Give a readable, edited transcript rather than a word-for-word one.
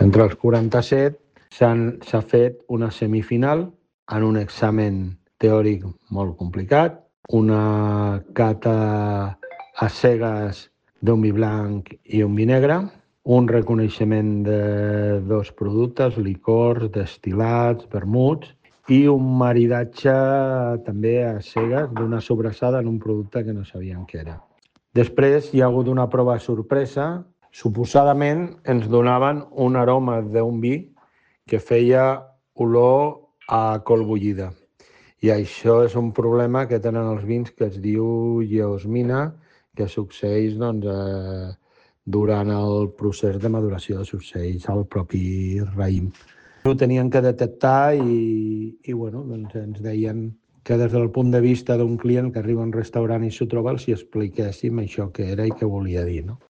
Entre els 47 s'ha fet una semifinal en un examen teòric molt complicat, una cata a cegues d'un vi blanc i un vi negre, un reconeixement de 2 productes, licors, destil·lats, vermuts, i un maridatge també a cegues d'una sobrassada en un producte que no sabíem què era. Després hi ha hagut una prova sorpresa. Suposadament ens donaven un aroma d'un vi que feia olor a col bullida. I això és un problema que tenen els vins que es diu geosmina, que succeeix durant el procés de maduració, succeeix al propi raïm. Ho tenien que detectar i ens deien que des del punt de vista d'un client que arriba a un restaurant i s'ho troba, els hi expliquéssim això que era i què volia dir, no?